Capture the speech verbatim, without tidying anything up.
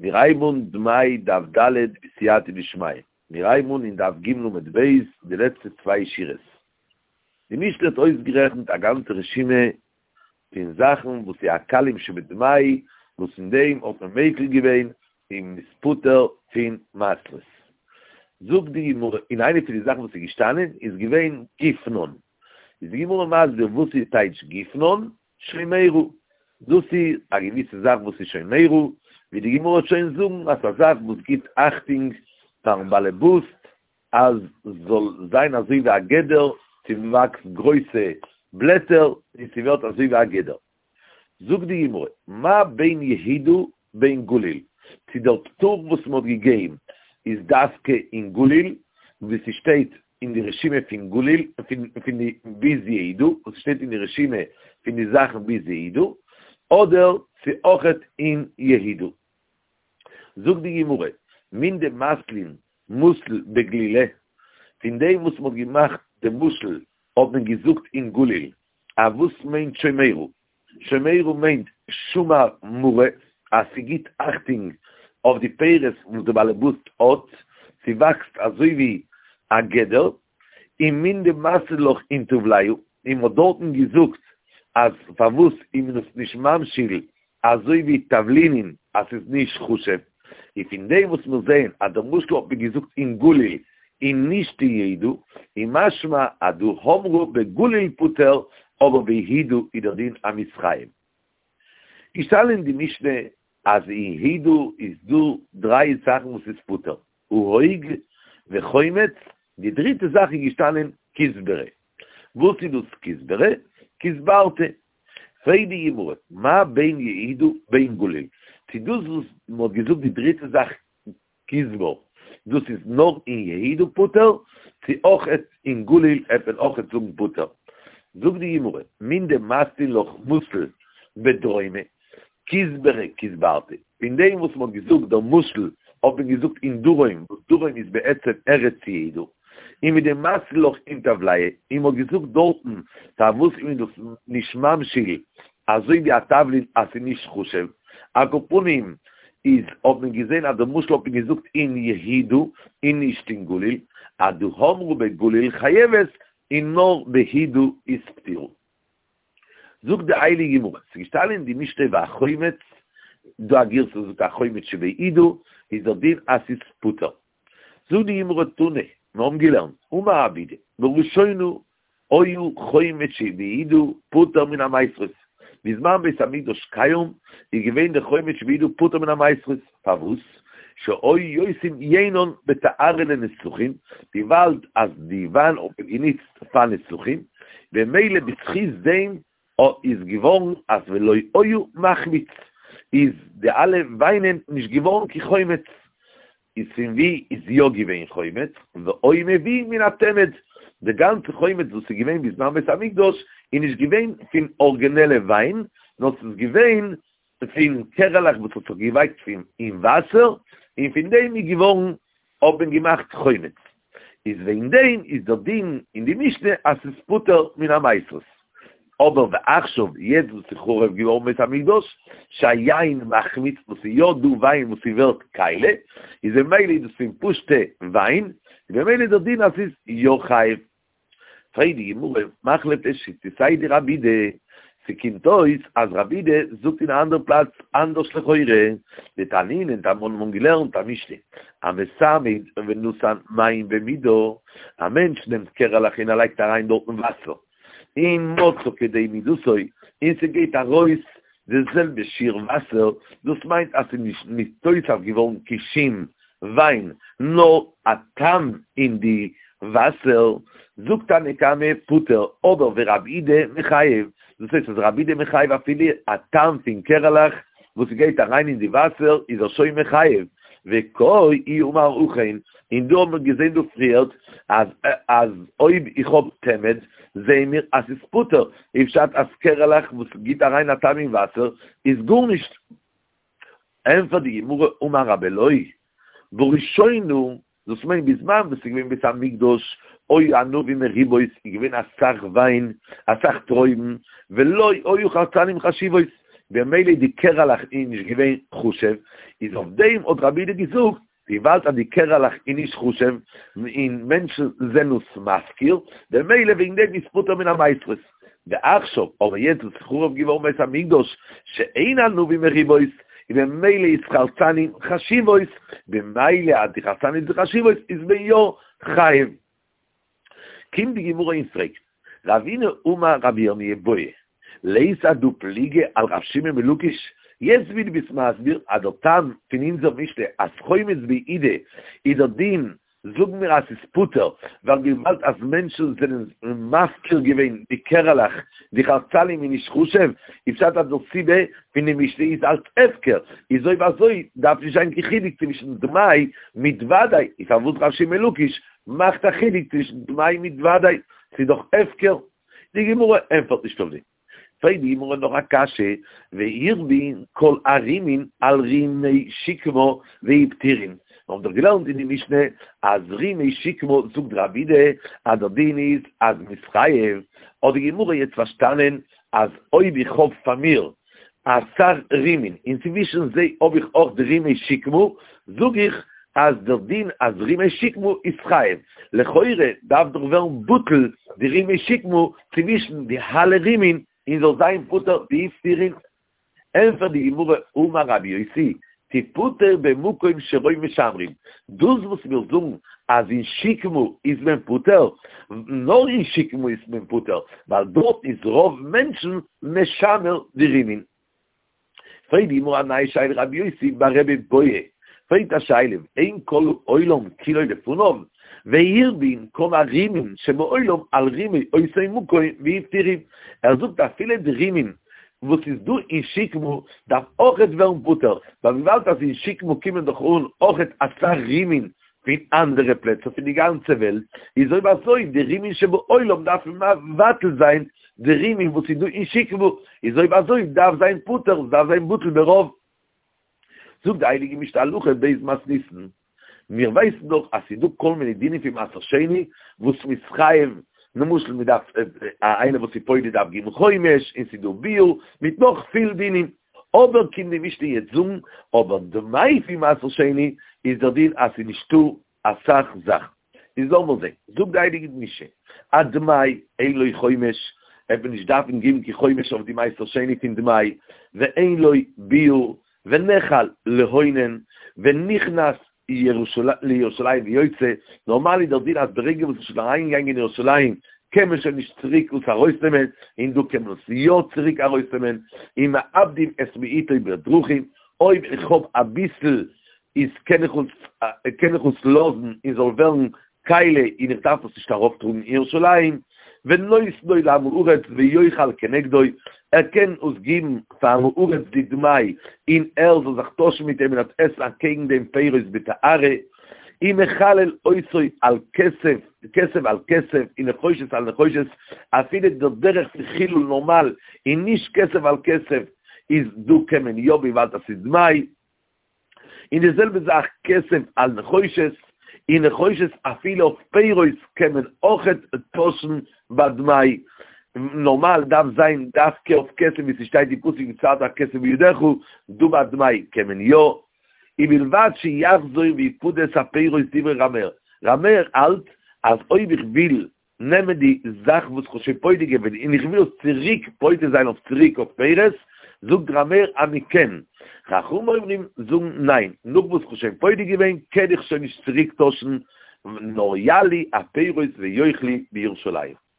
מיר הייבן אן דמאי דף ד' בסייעתא דשמיא, מיר הייבן אן אין דף ג' עמוד ב', די לעצטע צוויי שורות. די משנה האט אויסגערעכנט א גאנצע רשימה פון זאכן וואס איז הקלים שבדמאי, וואס אין דעם האט מען מיקל געווען און מ'איז פטור פון מעשרות. זאגט די גמרא, און איינע פון די זאכן וואס איז געשטאנען איז געווען גופנן. איז די גמרא מסביר וואס איז טייטש גופנן, שומרה, דאס איז א געוויסע זאך וואס איז שומרה, ווי די גמרא וועט שוין זאגן אז א זאך וואס גיבט אכטונג פארן באלעבאסט אז ס'זאל זיין אזוי ווי א גדר, ס'וואקסט גרויסע בלעטער און ס'ווערט אזוי ווי א גדר. זאגט די גמרא, מה בין יהודה בין גליל, צו דער פטור וואס מ'האט געגעבן איז דווקא אין גליל, ווי ס'שטייט אין די רשימה פון גליל, פון די ביז יהודה, וואס ס'שטייט אין די רשימה פון די זאכן ביז יהודה, אדער צו אויכעט אין יהודה. זאגט די גמרא, מן דמתלין מתל בגלילא, פון דעם וואס מ'האט געמאכט די משל האט מען געזאגט אין גליל, א וואס מיינט שומרה? שומרה מיינט שמר מרא, אז ס'גיט אכטונג אויף די פירות וואס די באלעבאסט האט, ס'וואקסט אזוי ווי א גדר, און מן דמתלי לך אין טבליא, און מ'האט דארטן געזאגט אז פארוואס איז מען עס נישט ממשיל אזוי ווי תבלינים אז ס'איז נישט חשוב, און פון דעם וואס מיר זעען אז דער משל האט מען געזאגט אין גליל און נישט אין יהודה, איז משמע אז דהא אמרו בגליל פטור אבער ביהודה איז דער דין אז מ'איז חייב. געשטאנען אין די משנה אז אין יהודה איז דא דריי זאכן וואס איז פטור, ההוג וחומץ, די דריטע זאך איז געשטאנען כוסברה. וואס איז דאס כוסברה? כוסברתא. פרעגט די גמרא, מה בין יהודה בין גליל, צו דאס וואס מען האט געזאגט די דריטע זאך כוסבר, דאס איז נאר אין יהודה פטור, צו אויכעט אין גליל העט מען אויכעט זאגן פטור. זאגט די גמרא, מן דמתלין לך מתל בדרומא, כוסברה כוסברתא, פון דעם וואס מען האט געזאגט דער משל האט מען געזאגט אין דרום, וואס דרום איז בעצם ארץ יהודה, און מדמתלי לך אין טבליא, און מען האט געזאגט דארטן פארוואס איז מען דאס נישט ממשיל אזוי ווי א תבלין אז ס'איז נישט חשוב, על כל פנים איז האט מען געזען אז די משל האט מען געזאגט אין יהודה און נישט אין גליל, אז דהא אמרו בגליל חייבת און נאר ביהודה איז פטורה. זאגט די הייליגע גמרא, ס'איז געשטאנען אין די משנה והחומץ, דא א גירסא וואס זאגט החומץ שביהודה, איז דער דין אז ס'איז פטור. זאגט די גמרא תנא, מיר האבן געלערנט, אמר רב אידי, בראשונה היה חומץ שביהודה פטור מן המעשרות, בזמן בית המקדש קיים איז געווען די חומץ שביהודה פטור מן המעשרות, פארוואס? שהיו עושין יינן בתערה לנסכים, וויבאלד אז די וויין האט מען גענוצט פאר נסכים, במילא בזכות דעם איז געווארן אז ולא היה מחמיץ, איז די אלע וויינען נישט געווארן קיין חומץ, איז פון ווי איז יא געווען חומץ? והיו מביאין מן התמד, די גאנצע חומץ וואס איז געווען בזמן בית המקדש איז נישט געווען פון ארגינעלע וויין, נאר ס'איז געווען פון קערעלעך וואס האט זיך געווייקט פון אין וואסער, און פון דעם איז געווארן האט מען געמאכט חומץ. איז וועגן דעם איז דער דין אין די משנה אז ס'איז פטור מן המעשרות. אבער ועכשיו יעצט וואס איז חרוב געווארן בית המקדש, שהיין מחמיץ, וואס איז יא דא וויין וואס ס'ווערט קאליע, איז במילא איז דאס פון פשוטע וויין, איז במילא דער דין אז ס'איז יא חייב. פרעגט די גמרא, מכלף לשיטתיה דרב אידי, ס'קומט אויס אז רב אידי זאגט אין א אנדער פלאץ אנדערש לכאורה, דתנינן אונז האבן געלערנט א משנה, המסמד ונתן מים במידה, א מענטש נעמט קערעלעך און ער לייגט אריין דארטן וואסער, און מצא כדי מידתו, און ס'גייט ארויס די זעלבע שיעור וואסער, דאס מיינט אז ס'איז נישט נתוסף געווארן קיין שום וויין, נאר א טעם אין די וואסער, זאגט תנא קמא פטור, אבער ורב אידי מחייב, דאס הייסט אז רב אידי מחייב אפילו א טעם פון קערעלעך וואס ס'גייט אריין אין די וואסער איז ער שוין מחייב, וקאי אי אמר הכי, און דא האבן מיר געזען דא פריערט אז אז אויב איך האב תמד זעען מיר אז ס'איז פטור, איז פשט אז קערעלעך וואס גיט אריין א טעם אין וואסער איז גארנישט. ענפערט די גמרא אמר רבי אלעאי בראשונה, דאס מיינט בזמן וואס ס'איז געווען בית המקדש היו ענבים מרובות איז געווען אסאך וויין אסאך טרויבן ולא היו חרצנים חשובות במילא די קערעלעך איז נישט געווען חשוב, איז אויף דעם האט רבי יהודה געזאגט, וויבאלד אז די קערעלעך איז נישט חשוב, און מענטשן זענען עס מפקיר, במילא וועגן דעם איז פטור מן המעשרות. ועכשיו, אבער יעצט וואס איז חרוב געווארן בית המקדש, שאין ענבים מרובות, און במילא איז חרצנים חשיבות, במילא אז די חרצנים זענען חשיבות איז מען יא חייב. קומט די גמרא און פרעגט, רבינא אמר רבי ירמי' בעי, לית הדא פליגא על ר' שמעון בן לקיש, יעצט ווי דו ביסט מסביר אז דער טעם פון אונזער משנה אז חומץ בעידה איז דער דין זאגן מיר אז ס'איז פטור, ווייל וויבאלד אז מענטשן זענען מפקיר געווען די קערעלעך, די חרצנים איז נישט חשוב, איז פשט אז די סיבה פון די משנה איז אלץ הפקר, איז אויב אזוי דארף נישט זיין קיין חילוק צווישן דמאי מיט ודאי, איז פארוואס ר' שמעון בן לקיש מאכט א חילוק צווישן דמאי מיט ודאי, ס'איז דאך הפקר? די גמרא ענטפערט נישט אויף דעם. פרעגט די גמרא נאך א קשיא, והרבין כל הרימין על רימי שקמה והפטירין, מיר האבן דאך געלערנט אין די משנה אז רימי שקמה זאגט רבי יהודה אז דער דין איז אז מ'איז חייב, האט די גמרא יעצט פארשטאנען אז אויב איך האב פאר מיר אסאך רימין און צווישן זיי האב איך אויך די רימי שקמה, זאג איך אז דער דין אז רימי שקמה איז חייב, לכאורה דארף דאך ווערן בטל די רימי שקמה צווישן די אלע רימין און זאל זיין פטור והפטירין. ענפערט די גמרא אמר רבי יוסי, תפטר במקום שרוב משמרים, דאס וואס מיר זאגן אז אין שקמה איז מען פטור, נאר אין שקמה איז מען פטור, ווייל דארט איז רוב מענטשן משמר די רימין. פרעגט די גמרא א נייע שאלה רבי יוסי בר רבי בעי פרעגט א שאלה אין כל העולם כולו לפניו והרבין כל הרימין שבעולם על רימי אותו מקום והפטירין ער זאגט אפילו די רימין וואס איז דא אין שקמה דארף אויכעט ווערן פטור ווייל וויבאלד אז אין שקמה קומען דאך אן אויכעט אסאך רימין פון אנדערע פלעצער פון די גאנצע וועלט, איז אויב אזוי די רימין שבעולם דארף מבטל זיין די רימין וואס איז דא אין שקמה, איז אויב אזוי דארף זיין פטור, עס דארף זיין בטל ברוב. זאגט די הייליגע משנה הלכה ב' מתניתין, מיר ווייסן דאך אז ס'איז דא כל מיני דינים פון מעשר שני וואס מ'איז חייב, למשל מ'דארף איינער וואס איז פודה דארף געבן חומש, און ס'איז דא ביעור, מיט נאך פיל דינים, אבער קומט די משנה יעצט זאגן, אבער דמאי פון מעשר שני איז דער דין אז ס'איז נישטא אסאך זאכן. איז לאמיר זען, זאגט די הייליגע משנה, הדמאי אין לו חומש, ער וועט נישט דארפן געבן קיין חומש אויף די מעשר שני פון דמאי, ואין לו ביעור, ונאכל לאונן, ונכנס לירושלים ויוצא, נארמאל איז דער דין אז ברגע וואס איז שוין אריינגעגאנגען אין ירושלים קען מען שוין נישט צוריק עס ארויסנעמען, און דא קען מען עס יא צוריק ארויסנעמען, ומאבדים את מיעוטו בדרכים, אויב איך האב אביסל איז קען איך עס קען איך עס לאזן און זאל ווערן כלי און איך דארף עס נישט ארויפטראגן אין ירושלים, ונותנו לעם הארץ ויאכל כנגדו, ער קען עס גיבן פאר עם הארץ די דמאי און ער זאל זיך טוישן מיט אים און עס עסן אקעגן דעם פירות בטהרה, ומחלל אותו על כסף, כסף על כסף ונחושת על נחושת, אפילו דער דרך פון חילול נארמאל און נישט כסף על כסף איז דא קען מען יא וויבאלד עס איז דמאי. און די זעלבע זאך כסף על נחושת, און נחושת אפילו אויף פירות קען מען אויכעט טוישן ביי דמאי, נארמאל דארף זיין דווקא אויף כסף ווי ס'שטייט אין פסוק וצרת הכסף בידך, דא ביי דמאי קען מען יא, ובלבד שיחזור ויפדה את הפירות דברי ר' מאיר, ר' מאיר האלט אז אויב איך וויל נעמען די זאך וואס כ'האב שוין פודה געווען און איך וויל עס צוריק פודה זיין אויף צוריק אויף פירות, זאגט ר' מאיר אז מ'קען. חכמים אומרים זאגן ניין, נאך וואס כ'האב שוין פודה געווען קען איך שוין נישט צוריק טוישן, נאר יעלו הפירות ויאכלו בירושלים.